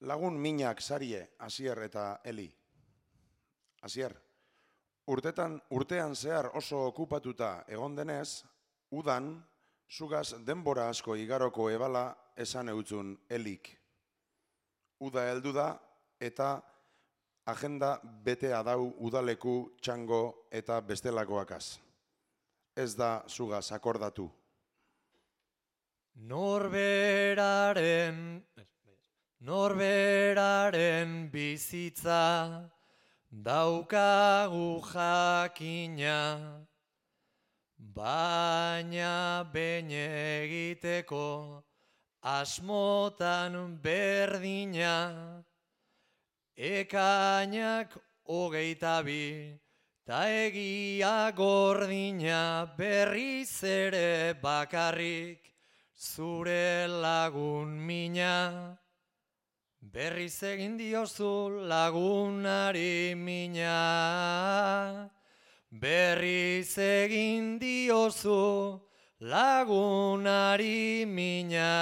Lagun minak Sarie, Asier eta Eli. Asier, urtean zehar oso okupatuta egon denez, udan, zugaz denbora asko igaroko ebala esan eutzun Elik. Uda heldu da eta agenda betea dau udaleku, txango eta bestelakoakaz. Ez da zugaz akordatu. Norberaren bizitza daukagu jakina, baina behin egiteko asmotan berdina, ekainak 22 ta egia gordina, berriz ere bakarrik zure lagun mina. Berriz egin diozu lagunari mina, berriz egin diozu lagunari mina.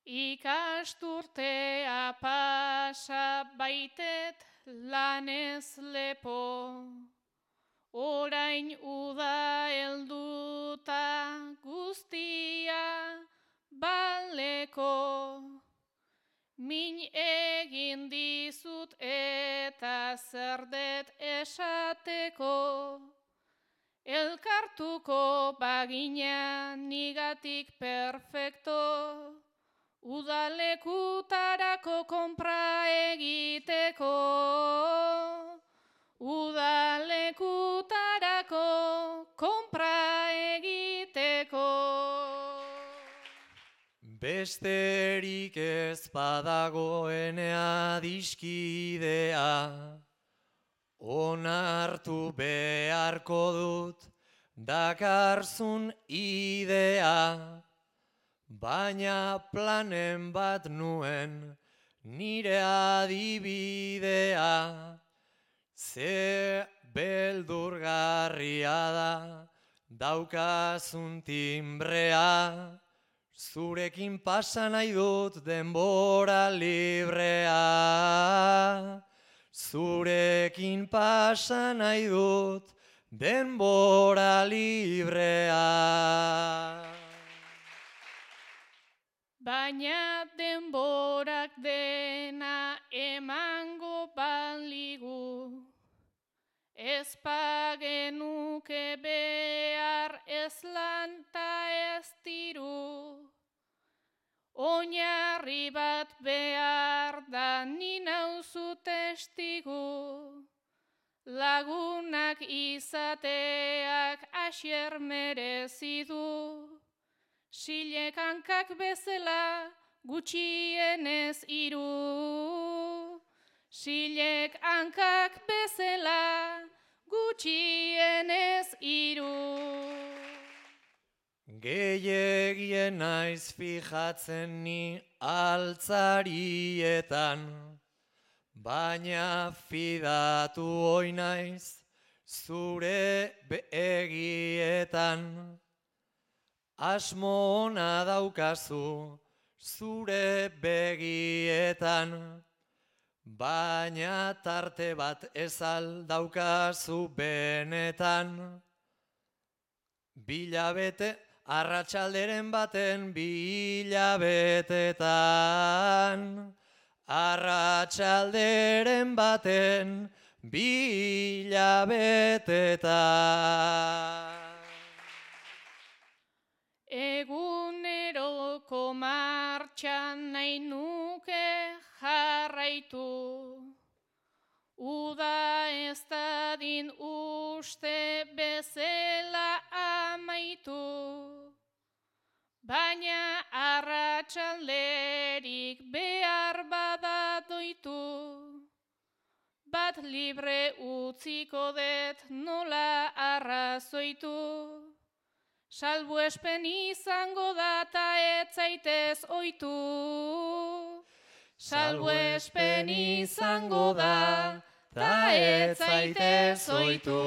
Ikasturtea pasa baitet lanez lepo, orain uda helduta guztia baleko. Min egin dizut eta zer det esateko, elkartuko bagina nigatik perfecto, udalekutarako konpra egiteko, udalekutarako konpra egiteko. Besterik ez badagoenea adiskidea, onartu beharko dut dakarzun idea, baina planen bat nuen nire adibidea, ze beldurgarria da daukazun timbrea, zurekin pasa nahi dut denbora librea, zurekin pasa nahi dut denbora librea. Baina denborak dena emango baligu, ez pagenuke behar ez lan ta ez diru. Oinarri bat behar da ni nauzu testigu, lagunak izateak Asier merezi du. Silek hankak bezala gutxienez 3, silek hankak bezala gutxienez 3. Gehiegien naiz fijatzen ni altzarietan, baina fidatu hoi naiz zure begietan. Asmo ona daukazu zure begietan, baina tarte bat ez al daukazu benetan. Bilabete arratsalderen baten bilabetetan, arratsalderen baten bilabetetan. Eguneroko martxan nahi nuke jarraitu, uda ez dadin uste bezala amaitu, baina arratsalderik behar bada doitu, bat libre utziko det nola arrazoitu. Salbuespen izango da ta ez zaitez ohitu. Salbuespen izango da ta ez zaitez ohitu.